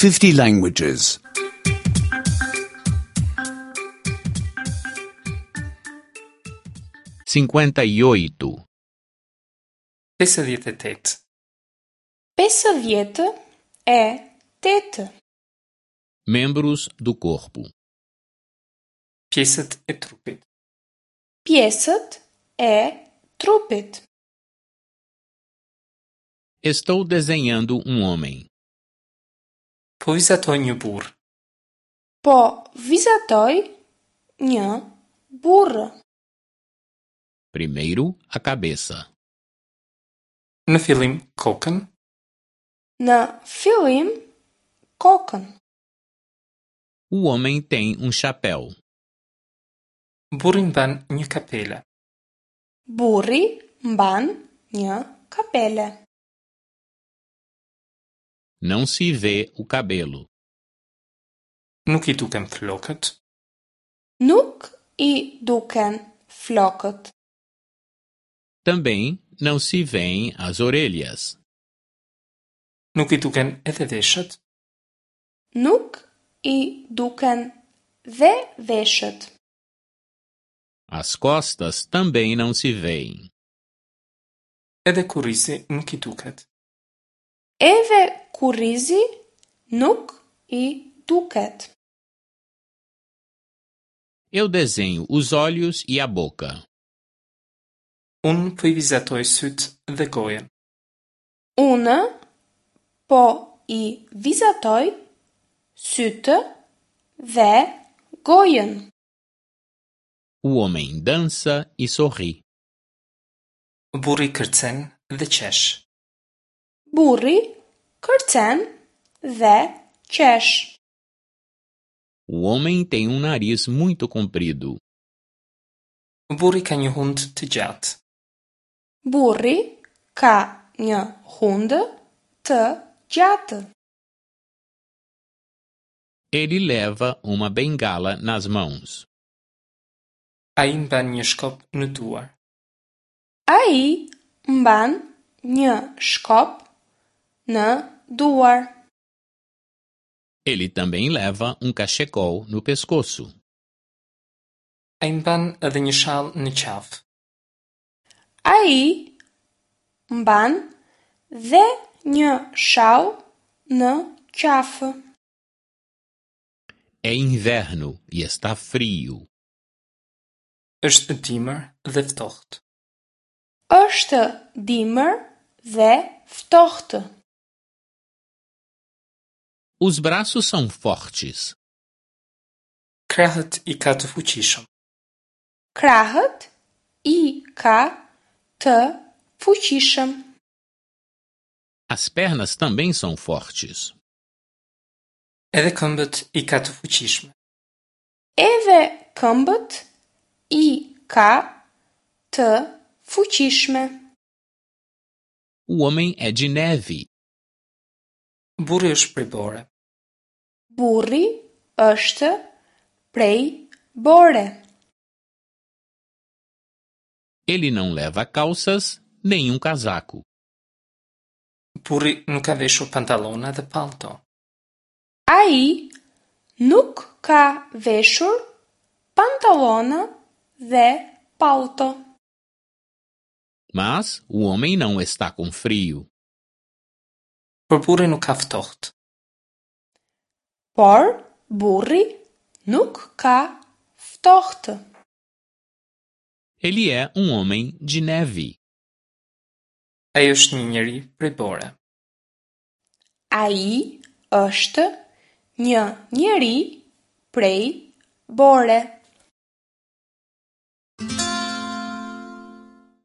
50 languages. 58. 58. 58. Membros do corpo. Pjesët e trupit. Pjesët e trupit. Estou desenhando um homem. Po vizatoj një burrë. Po vizatoj një burrë. Primeiro, a cabeça. Në fillim kokën, Në fillim kokën. O homem tem um chapéu. burri mban një kapele. Burri mban një kapele. Não se vê o cabelo. Nuk i duken flokët, Nuk i duken flokët. Também não se veem as orelhas. nuk i duken edhe veshët, Nuk i duken dhe veshët. As costas também não se veem. edhe kurrizi nuk i duket. Edhe kurrizi nuk i duket. Eu desenho os olhos e a boca. Unë po i vizatoj sytë dhe gojën. Unë po i vizatoj sytë dhe gojën. O homem dança e sorri. Burri kërcen dhe qesh. Burri kërcen dhe qesh. O homem tem um nariz muito comprido. Burri ka një hundë të gjatë. Burri ka një hundë të gjatë. Ele leva uma bengala nas mãos. Ai mban një shkop në duar. Ai mban një shkop në duar. Ele também leva um cachecol no pescoço. Ai mban edhe një shall në qafë. Ai mban dhe një shall në qafë. É inverno e está frio. Është dimër dhe ftohtë. Është dimër dhe ftohtë. Os braços são fortes. Krahët i ka të fuqishëm. Krahët i ka të fuqishëm. As pernas também são fortes. Edhe këmbët i ka të fuqishme. Edhe këmbët i ka të fuqishme. O homem é de neve. Burri është prej bore. Burri është prej bore. Ele não leva calças nem um casaco. Burri nuk ka veshur pantallona dhe pallto. Ai nuk ka veshur pantallona dhe pallto. Mas o homem não está com frio. Por burri nuk ka ftohtë. Por burri nuk ka ftohtë. Ele é um homem de neve. Ai është një njeri prej bore. Ai është një njeri prej bore.